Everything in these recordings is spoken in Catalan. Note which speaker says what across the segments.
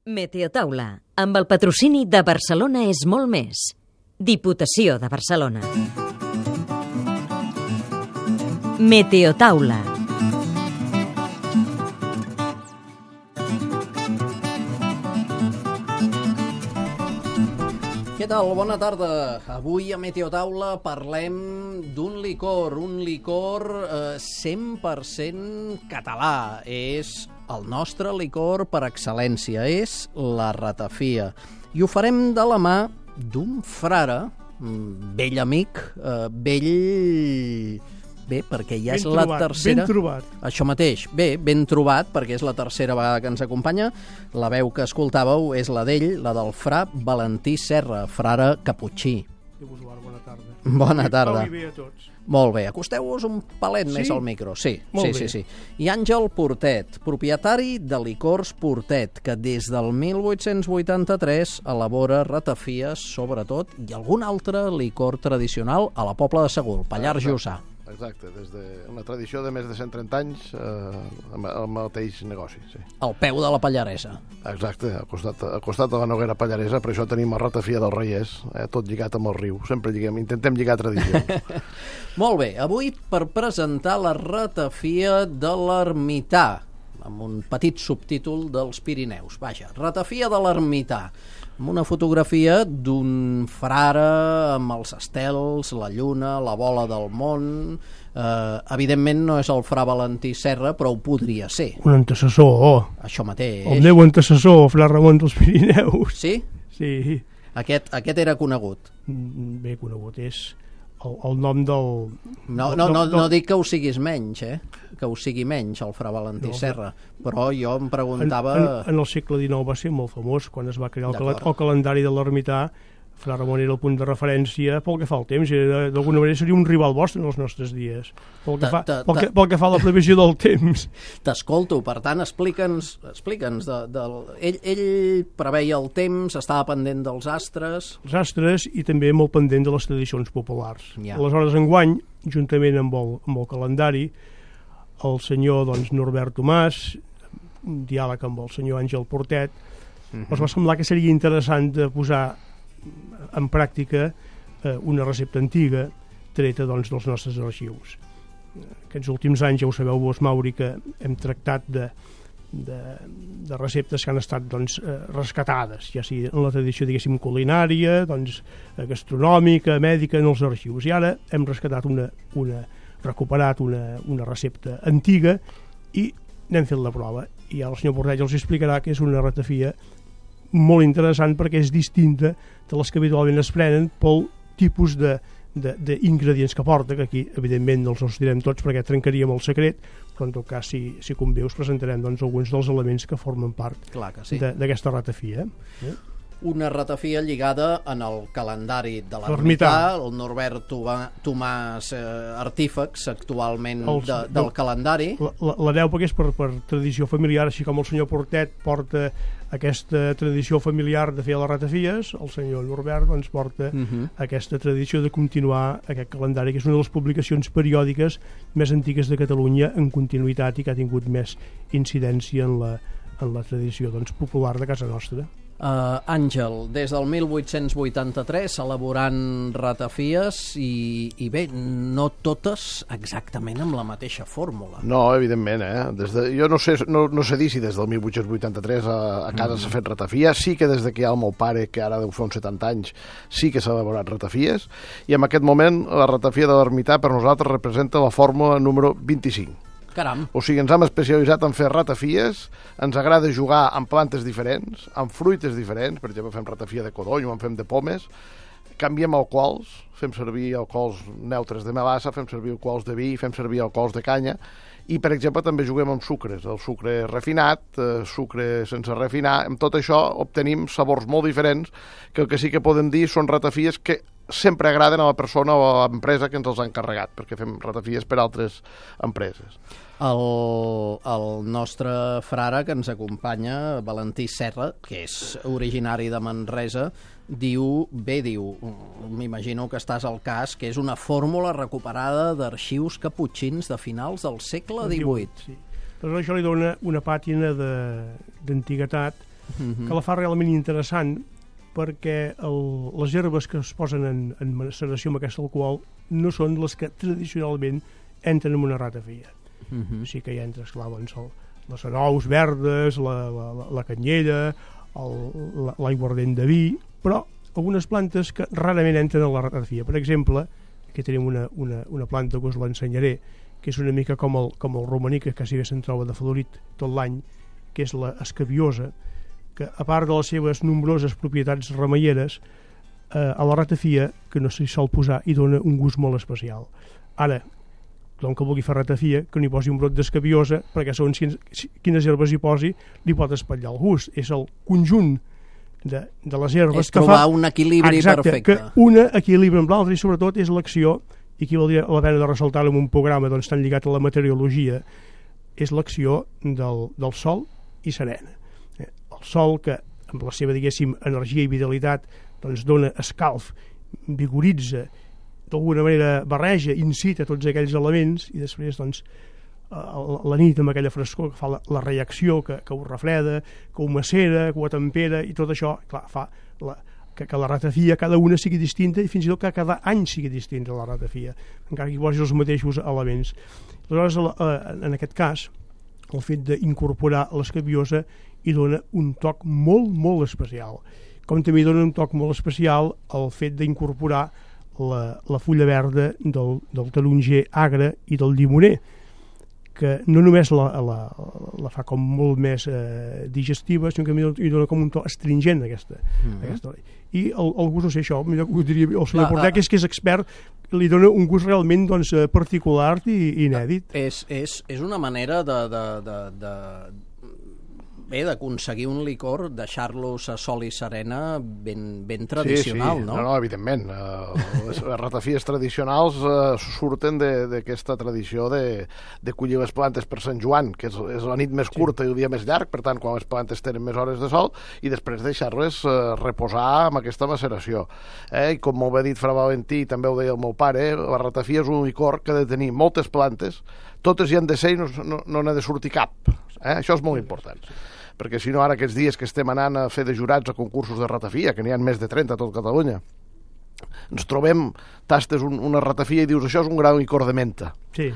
Speaker 1: Meteotaula, amb el patrocini de Barcelona és molt més. Diputació de Barcelona. Meteotaula.
Speaker 2: Què tal? Bona tarda. Avui a Meteotaula parlem d'un licor, 100% català. És el nostre licor per excel·lència, és la ratafia. I ho farem de la mà d'un frare, vell amic, Bé, perquè ja és la tercera...
Speaker 3: Ben trobat.
Speaker 2: Això mateix. Bé, ben trobat, perquè és la tercera vegada que ens acompanya. La veu que escoltàveu és la d'ell, la del fra Valentí Serra, frare caputxí.
Speaker 3: Bona tarda.
Speaker 2: Bona tarda.
Speaker 3: Pau i bé a tots.
Speaker 2: Molt bé. Acosteu-vos un palet més al micro. Sí. I Àngel Portet, propietari de Licors Portet, que des del 1883 elabora ratafies, sobretot, i algun altre licor tradicional a la Pobla de Segur, Pallars Jussà.
Speaker 4: Exacte, des d'una tradició de més de 130 anys amb el mateix negoci, sí.
Speaker 2: Al peu de la Pallaresa.
Speaker 4: Exacte, al costat de la Noguera Pallaresa, per això tenim la ratafia del Reiers, tot lligat amb el riu. Sempre intentem lligar tradicions.
Speaker 2: Molt bé, avui per presentar la ratafia de l'Ermità, amb un petit subtítol dels Pirineus. Vaja, ratafia de l'Ermità, amb una fotografia d'un frare amb els estels, la lluna, la bola del món. Evidentment no és el fra Valentí Serra, però ho podria ser.
Speaker 3: Un antecessor.
Speaker 2: Això mateix.
Speaker 3: El meu antecessor, fra Ramon dels Pirineus.
Speaker 2: Sí?
Speaker 3: Sí.
Speaker 2: Aquest era conegut.
Speaker 3: Bé conegut, és el nom del...
Speaker 2: No dic que ho siguis menys, que ho sigui menys, el fra Valentí Serra, però jo em preguntava...
Speaker 3: En el segle XIX va ser molt famós, quan es va crear el calendari de l'Ermità. Fra Ramon era el punt de referència pel que fa al temps, d'alguna manera seria un rival vostre en els nostres dies, pel que fa a la previsió del temps.
Speaker 2: T'escolto, per tant, explica'ns. Ell preveia el temps, estava pendent dels astres...
Speaker 3: Els astres i també molt pendent de les tradicions populars. Aleshores, enguany, juntament amb el calendari, el senyor Norbert Tomàs, un diàleg amb el senyor Àngel Portet, ens va semblar que seria interessant de posar en pràctica una recepta antiga treta dels nostres arxius. Aquests últims anys, ja ho sabeu vos, Mauri, que hem tractat de receptes que han estat rescatades, ja sigui en la tradició, diguéssim, culinària, gastronòmica, mèdica, en els arxius. I ara hem rescatat recuperat una recepta antiga i n'hem fet la prova. I el senyor Portet els explicarà que és una ratafia molt interessant perquè és distinta de les que habitualment es prenen pel tipus d'ingredients que porta, que aquí evidentment no els direm tots perquè trencaríem el secret, però en tot cas si convé us presentarem alguns dels elements que formen part d'aquesta ratafia.
Speaker 2: Una ratafia lligada en el calendari de l'Ermità, el Norbert Tomàs artífex actualment del calendari.
Speaker 3: L'hereu perquè és per tradició familiar, així com el senyor Portet porta aquesta tradició familiar de fer les ratafies, el senyor Norbert porta aquesta tradició de continuar aquest calendari, que és una de les publicacions periòdiques més antigues de Catalunya en continuïtat i que ha tingut més incidència en la tradició popular de casa nostra.
Speaker 2: Àngel, des del 1883 elaborant ratafies i bé, no totes exactament amb la mateixa fórmula.
Speaker 4: No, evidentment, jo no sé dir si des del 1883 a casa s'ha fet ratafia. Sí que des que hi ha el meu pare, que ara deu fer uns 70 anys, sí que s'ha elaborat ratafies, i en aquest moment la ratafia de l'Ermità per nosaltres representa la fórmula número 25.
Speaker 2: Caram.
Speaker 4: O sigui, ens hem especialitzat en fer ratafies, ens agrada jugar amb plantes diferents, amb fruites diferents, per exemple, fem ratafia de codony o en fem de pomes, canviem alcohols, fem servir alcohols neutres de melassa, fem servir alcohols de vi, fem servir alcohols de canya, i, per exemple, també juguem amb sucres, el sucre refinat, sucre sense refinar. Amb tot això obtenim sabors molt diferents, que el que sí que podem dir són ratafies que sempre agraden a la persona o a l'empresa que ens els ha encarregat, perquè fem ratafies per altres empreses.
Speaker 2: El nostre frare que ens acompanya, Valentí Serra, que és originari de Manresa, diu, m'imagino que estàs al cas, que és una fórmula recuperada d'arxius caputxins de finals del segle XVIII.
Speaker 3: Sí. Però això li dona una pàtina d'antiguitat que la fa realment interessant, perquè les herbes que es posen en maceració amb aquest alcohol no són les que tradicionalment entren en una ratafia. Sí que hi entra, esclar, doncs, les anous verdes, la canyella, l'aiguardent de vi, però algunes plantes que rarament entren a la ratafia. Per exemple, aquí tenim una planta que us l'ensenyaré, que és una mica com el romaní, que quasi bé se'n troba de florit tot l'any, que és l'escabiosa, que a part de les seves nombroses propietats remeieres, a la ratafia, que no s'hi sol posar, hi dona un gust molt especial. Ara, tothom que vulgui fer ratafia, que n'hi posi un brot d'escabiosa, perquè segons quines herbes hi posi, li pot espatllar el gust. És el conjunt de les herbes
Speaker 2: és trobar un equilibri perfecte.
Speaker 3: Que una equilibra amb l'altra, i sobretot és l'acció, i aquí valdria la pena de ressaltar-ho en un programa doncs, tan lligat a la meteorologia, és l'acció del sol i serena. El sol, que amb la seva, diguéssim, energia i vitalitat doncs, dona escalf, vigoritza, d'alguna manera barreja, incita tots aquells elements, i després doncs, la nit amb aquella frescor que fa la reacció, que ho refreda, que ho macera, que ho tempera, i tot això clar, fa que la ratafia cada una sigui distinta, i fins i tot que cada any sigui distinta la ratafia, encara que hi posis els mateixos elements. Aleshores, en aquest cas, el fet d'incorporar l'escabiosa hi dona un toc molt, molt especial. Com també hi dona un toc molt especial el fet d'incorporar la fulla verda del taronger agre i del llimoner, que no només la fa com molt més digestiva, sinó que hi dona com un to astringent aquesta. I el gust, no sé, això millor ho diria el senyor Portet, que és expert, li dona un gust realment doncs, particular i inèdit.
Speaker 2: És una manera d'aconseguir un licor, deixar-los a sol i serena ben tradicional,
Speaker 4: sí.
Speaker 2: No?
Speaker 4: No, evidentment. Les ratafies tradicionals surten d'aquesta tradició de collir les plantes per Sant Joan, que és la nit més curta i el dia més llarg, per tant, quan les plantes tenen més hores de sol, i després deixar-les reposar amb aquesta maceració. I com molt bé ha dit Fra Valentí, també ho deia el meu pare, la ratafia és un licor que ha de tenir moltes plantes, totes hi han de ser i no n'ha de sortir cap. Això és molt important. Perquè si no, ara aquests dies que estem anant a fer de jurats a concursos de ratafia, que n'hi ha més de 30 a tot Catalunya, ens trobem, tastes una ratafia i dius això és un gran licor de menta,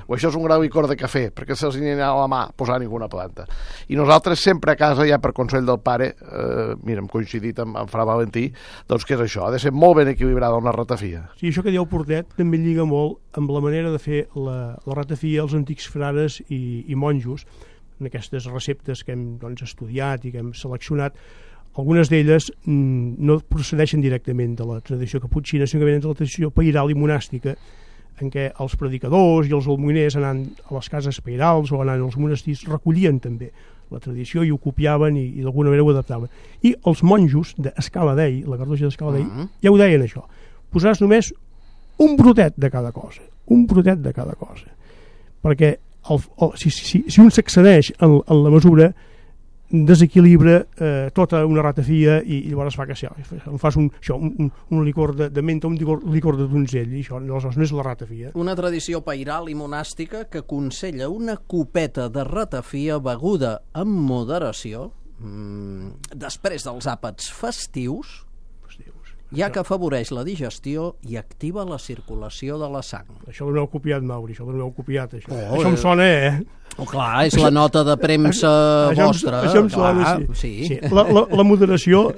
Speaker 4: o això és un gran licor de cafè, perquè se'ls n'hi ha a la mà posar ninguna planta. I nosaltres sempre a casa, ja per consell del pare, mira, hem coincidit amb Fra Valentí, doncs que és això, ha de ser molt ben equilibrada una ratafia.
Speaker 3: Sí, això que diu Portet també lliga molt amb la manera de fer la ratafia als antics frares i monjos, en aquestes receptes que hem doncs, estudiat i que hem seleccionat. Algunes d'elles no procedeixen directament de la tradició caputxina, sinó que venen de la tradició pairal i monàstica, en què els predicadors i els almoiners anant a les cases pairals o anant als monestirs recollien també la tradició i ho copiaven i d'alguna manera ho adaptaven. I els monjos d'Escala Dei, la Cartoixa d'Escala Dei, ja ho deien això, posaràs només un brotet de cada cosa, perquè si un s'excedeix en la mesura desequilibra tota una ratafia i llavors fa que fas un licor de menta, un licor de donzell, i això no és la ratafia.
Speaker 2: Una tradició pairal i monàstica que aconsella una copeta de ratafia beguda amb moderació després dels àpats festius, ja que afavoreix la digestió i activa la circulació de la sang.
Speaker 3: Això ho heu copiat, Mauri, això això em sona,
Speaker 2: clar, és la nota de premsa vostra.
Speaker 3: Això em sona, sí. La moderació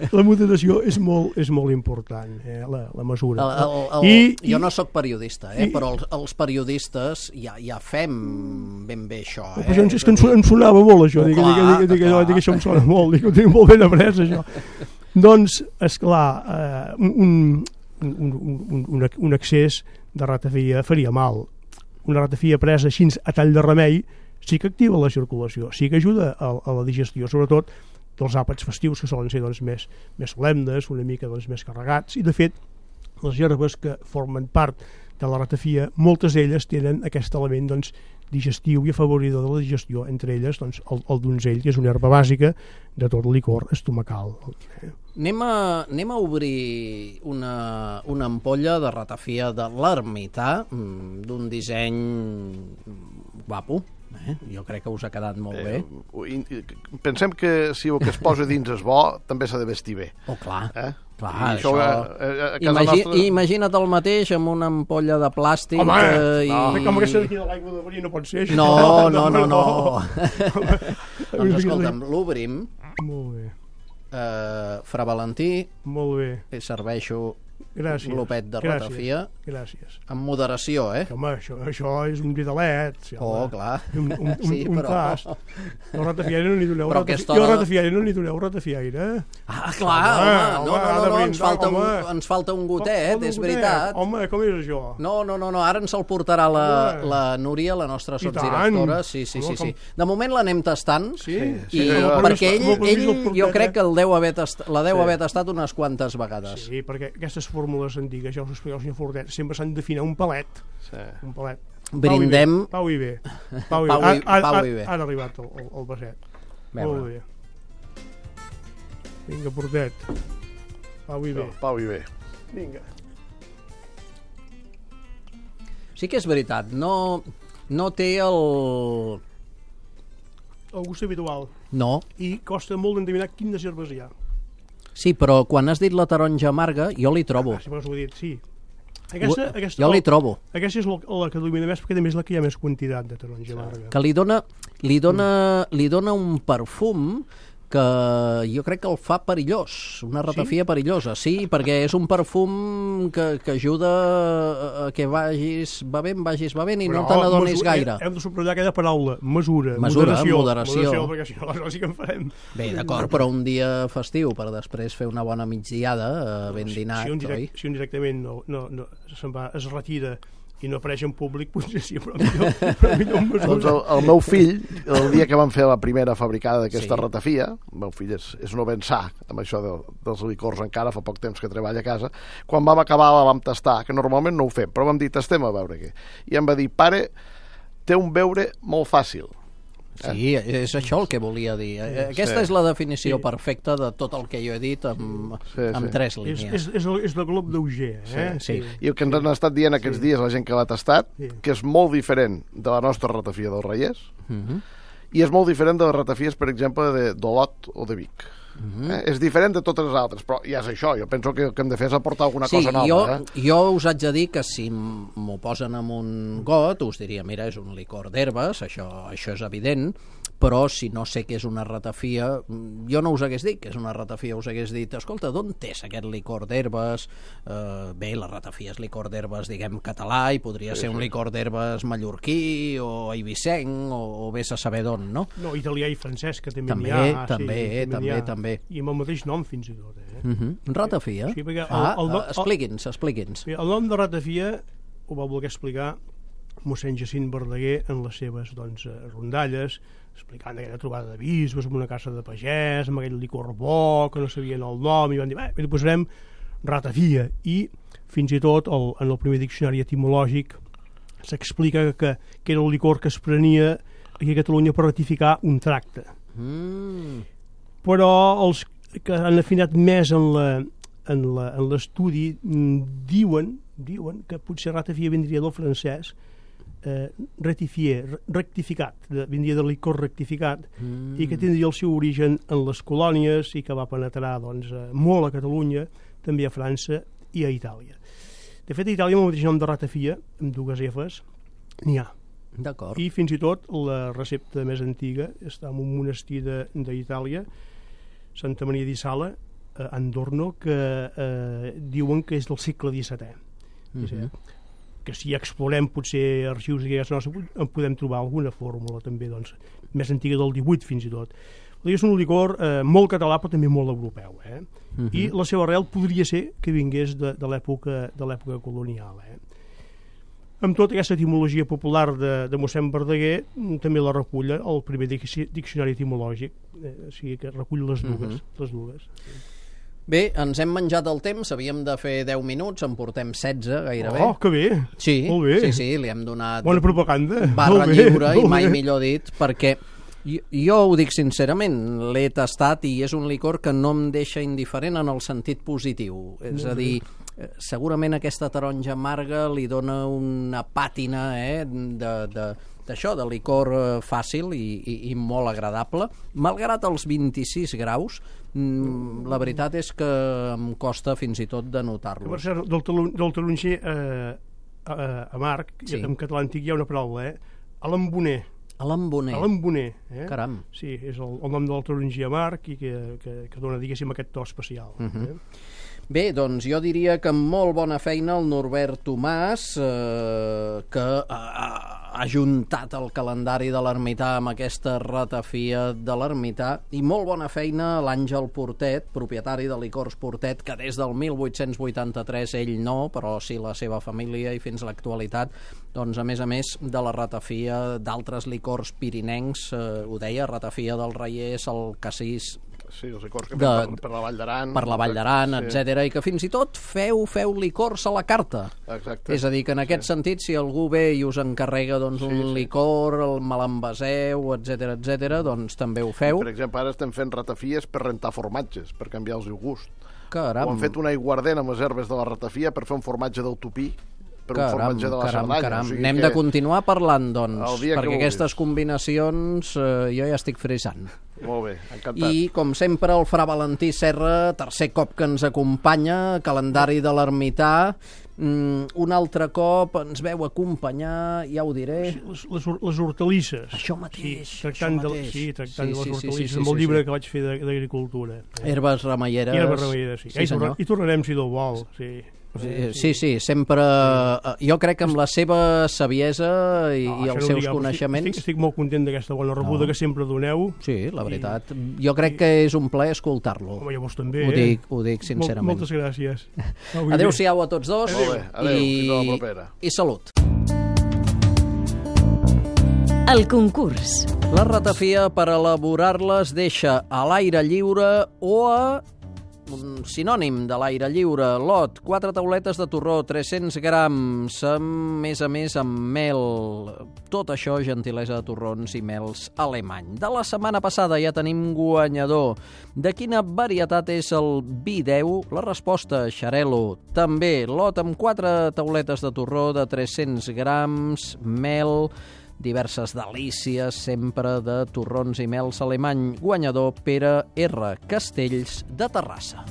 Speaker 3: és molt important, la mesura.
Speaker 2: Jo no sóc periodista, però els periodistes ja fem ben bé això.
Speaker 3: És que em sonava molt, això, dic això em sona molt, ho tinc molt ben après, això. Doncs, esclar, un excés de ratafia faria mal. Una ratafia presa així a tall de remei sí que activa la circulació, sí que ajuda a la digestió, sobretot dels àpats festius, que solen ser doncs, més solemnes, una mica doncs, més carregats, i de fet les herbes que formen part de la ratafia, moltes d'elles tenen aquest element doncs, digestiu i afavoridor de la digestió, entre elles doncs, el donzell, que és una herba bàsica de tot licor estomacal.
Speaker 2: Anem a obrir una ampolla de ratafia de l'ermità, d'un disseny guapo, Jo crec que us ha quedat molt bé.
Speaker 4: Pensem que si el que es posa dins és bo, també s'ha de vestir bé.
Speaker 2: Oh, clar. Clar,
Speaker 4: I
Speaker 2: això...
Speaker 4: a casa nostra...
Speaker 2: Imagina't el mateix amb una ampolla de plàstic...
Speaker 3: Home, com aquesta d'aquí de l'aigua de verí no pot ser això.
Speaker 2: No. Doncs escolta'm, l'obrim.
Speaker 3: Molt bé.
Speaker 2: Fra Valentí,
Speaker 3: Molt bé.
Speaker 2: serveixo
Speaker 3: Gràcies.
Speaker 2: glopet de ratafia.
Speaker 3: Gràcies.
Speaker 2: Amb moderació,
Speaker 3: Home, això és un vidalet. Sí,
Speaker 2: clar.
Speaker 3: Un tas. No ratafiaire no n'hi doneu.
Speaker 2: Però aquesta
Speaker 3: Jo ratafiaire no n'hi doneu ratafiaire.
Speaker 2: Clar, home. Ens falta un gotet, és veritat.
Speaker 3: Home, com és això?
Speaker 2: No, ara ens el portarà la Núria, la nostra sotsdirectora. Sí. De moment l'anem tastant.
Speaker 3: Sí.
Speaker 2: Perquè ell jo crec que la deu haver tastat unes quantes vegades.
Speaker 3: Sí, perquè aquestes fórmules antigues, ja us ho explica el senyor Fortet, sempre s'han d'afinar un palet. Un palet.
Speaker 2: Brindem...
Speaker 3: Pau i bé.
Speaker 2: Pau i bé.
Speaker 3: Ha arribat el vaset. Molt bé. Vinga, Fortet. Pau i bé.
Speaker 4: Pau i bé.
Speaker 3: Vinga.
Speaker 2: Sí que és veritat, no té el
Speaker 3: gust habitual.
Speaker 2: No.
Speaker 3: I costa molt d'endevinar quines herbes hi ha.
Speaker 2: Sí, però quan has dit la taronja amarga, jo li trobo.
Speaker 3: Sí, ho he dit, sí. Aquesta,
Speaker 2: jo li trobo.
Speaker 3: Aquesta és la que domina més, perquè també és la que hi ha més quantitat de taronja amarga.
Speaker 2: Que li dona un perfum que jo crec que el fa perillós, una ratafia perillosa, sí, perquè és un perfum que ajuda a que vagis bevent i no te n'adonis gaire.
Speaker 3: Hem de subratllar aquella paraula, mesura,
Speaker 2: moderació,
Speaker 3: perquè si no, aleshores sí que en farem.
Speaker 2: Bé, d'acord, però un dia festiu per després fer una bona migdiada ben dinat, oi?
Speaker 3: Si un directament se'n va, es retira i no apareix en públic, potser sí, però millor en mesura.
Speaker 4: Doncs el meu fill, el dia que vam fer la primera fabricada d'aquesta ratafia, el meu fill és no ben sa amb això dels licors encara, fa poc temps que treballa a casa, quan vam acabar la vam tastar, que normalment no ho fem, però vam dir, tastem a veure què. I em va dir, pare, té un beure molt fàcil.
Speaker 2: Sí, és això el que volia dir. Aquesta és la definició perfecta de tot el que jo he dit amb 3 línies.
Speaker 3: És el glob d'Auger.
Speaker 4: Sí. I el que ens han estat dient aquests dies la gent que l'ha tastat, que és molt diferent de la nostra ratafia del Reyes, i és molt diferent de les ratafies, per exemple, d'Olot o de Vic. És diferent de totes les altres, però ja és això, jo penso que el que hem de fer és aportar alguna cosa nova.
Speaker 2: Jo us haig de dir que si m'ho posen en un got us diria, mira, és un licor d'herbes, això és evident, però si no sé què és una ratafia, jo no us hagués dit que és una ratafia, us hagués dit, escolta, d'on és aquest licor d'herbes? Bé, la ratafia és licor d'herbes, diguem, català, i podria ser un licor d'herbes mallorquí o eivissenc, o vés a saber d'on, no?
Speaker 3: No, italià i francès, que també n'hi ha.
Speaker 2: També.
Speaker 3: I amb el mateix nom, fins i tot.
Speaker 2: Ratafia?
Speaker 3: Sí, perquè
Speaker 2: expliqui'ns.
Speaker 3: El nom de ratafia ho va voler explicar mossèn Jacint Verdaguer en les seves rondalles, explicant aquella trobada de bisbes en una casa de pagès, amb aquell licor bo, que no sabien el nom, i van dir, li posarem ratafia. I fins i tot en el primer diccionari etimològic s'explica que era el licor que es prenia aquí a Catalunya per ratificar un tracte. Però els que han afinat més en l'estudi diuen que potser ratafia vindria del francès rectificat, vindria del licor rectificat, i que tindria el seu origen en les colònies i que va penetrar molt a Catalunya, també a França i a Itàlia. De fet, a Itàlia, amb el mateix nom de ratafia, amb 2 Fs, n'hi ha.
Speaker 2: D'acord.
Speaker 3: I fins i tot la recepta més antiga està en un monestir d'Itàlia, Santa Maria di Sala, a Andorno, que diuen que és del segle XVII. Que si explorem potser arxius d'aquelles nostres en podem trobar alguna fórmula també més antiga del 18 fins i tot. És un licor molt català però també molt europeu, i la seva arrel podria ser que vingués de l'època colonial. Amb tota aquesta etimologia popular de mossèn Verdaguer també la recull el primer diccionari etimològic, o sigui que recull les dues.
Speaker 2: Bé, ens hem menjat el temps, havíem de fer 10 minuts, en portem 16 gairebé.
Speaker 3: Oh, que bé!
Speaker 2: Sí,
Speaker 3: molt bé.
Speaker 2: Sí, li hem donat
Speaker 3: bona propaganda.
Speaker 2: Barra lliure, i mai millor dit, perquè jo ho dic sincerament, l'he tastat i és un licor que no em deixa indiferent en el sentit positiu. És a dir, segurament aquesta taronja amarga li dona una pàtina d'això, de licor fàcil i molt agradable. Malgrat els 26 graus, la veritat és que em costa fins i tot de notar-los.
Speaker 3: Per cert, del taronger amarg, en català antic hi ha una paraula, alamboner.
Speaker 2: Alamboner. Caram.
Speaker 3: Sí, és el nom del taronger amarg i que dona, diguéssim, aquest to especial.
Speaker 2: Bé, doncs jo diria que amb molt bona feina el Norbert Tomàs, que ha juntat el calendari de l'ermità amb aquesta ratafia de l'ermità, i molt bona feina l'Àngel Portet, propietari de Licors Portet, que des del 1883 ell no, però sí la seva família, i fins a l'actualitat, doncs a més de la ratafia d'altres licors pirinencs, ho deia, ratafia del Raiers, el Cassís,
Speaker 4: sí, els licors que fem per la Vall d'Aran.
Speaker 2: Per la Vall d'Aran, etc. I que fins i tot feu licors a la carta.
Speaker 4: Exacte.
Speaker 2: És a dir, que en aquest sentit, si algú ve i us encarrega un licor, me l'envaseu, etc., doncs també ho feu.
Speaker 4: Per exemple, ara estem fent ratafies per rentar formatges, per canviar-los el gust.
Speaker 2: Caram.
Speaker 4: O han fet un aiguardent amb les herbes de la ratafia per fer un formatge d'autopí, per un formatge de la Cerdanya.
Speaker 2: Caram. O sigui, anem de continuar parlant, doncs, perquè aquestes
Speaker 4: vulguis.
Speaker 2: Combinacions jo ja estic frisant.
Speaker 4: Molt bé, encantat.
Speaker 2: I, com sempre, el fra Valentí Serra, tercer cop que ens acompanya, calendari de l'ermità, un altre cop ens veu acompanyar, ja ho diré...
Speaker 3: Les hortalisses.
Speaker 2: Això mateix.
Speaker 3: Tractant de les hortalisses, amb el llibre que vaig fer d'agricultura.
Speaker 2: Herbes remeieres.
Speaker 3: Herbes remeieres, sí. I tornarem, si Déu vol, sí.
Speaker 2: Sí, sempre... Jo crec que amb la seva saviesa i els seus coneixements...
Speaker 3: Estic molt content d'aquesta bona rebuda que sempre doneu.
Speaker 2: Sí, la veritat. Jo crec que és un plaer escoltar-lo.
Speaker 3: Home, llavors també,
Speaker 2: Ho dic sincerament.
Speaker 3: Moltes gràcies.
Speaker 2: Adéu-siau a tots dos.
Speaker 4: Adéu, fins a la propera.
Speaker 2: I salut.
Speaker 1: El concurs.
Speaker 2: La ratafia, per elaborar-les, deixa a l'aire lliure o a... un sinònim de l'aire lliure, lot, 4 tauletes de torró, 300 grams, a més amb mel. Tot això, gentilesa de torrons i mels alemany. De la setmana passada ja tenim guanyador. De quina varietat és el vi 10? La resposta, Xarel·lo. També, lot amb 4 tauletes de torró de 300 grams, mel, diverses delícies, sempre de torrons i mels alemany. Guanyador, Pere R. Castells, de Terrassa.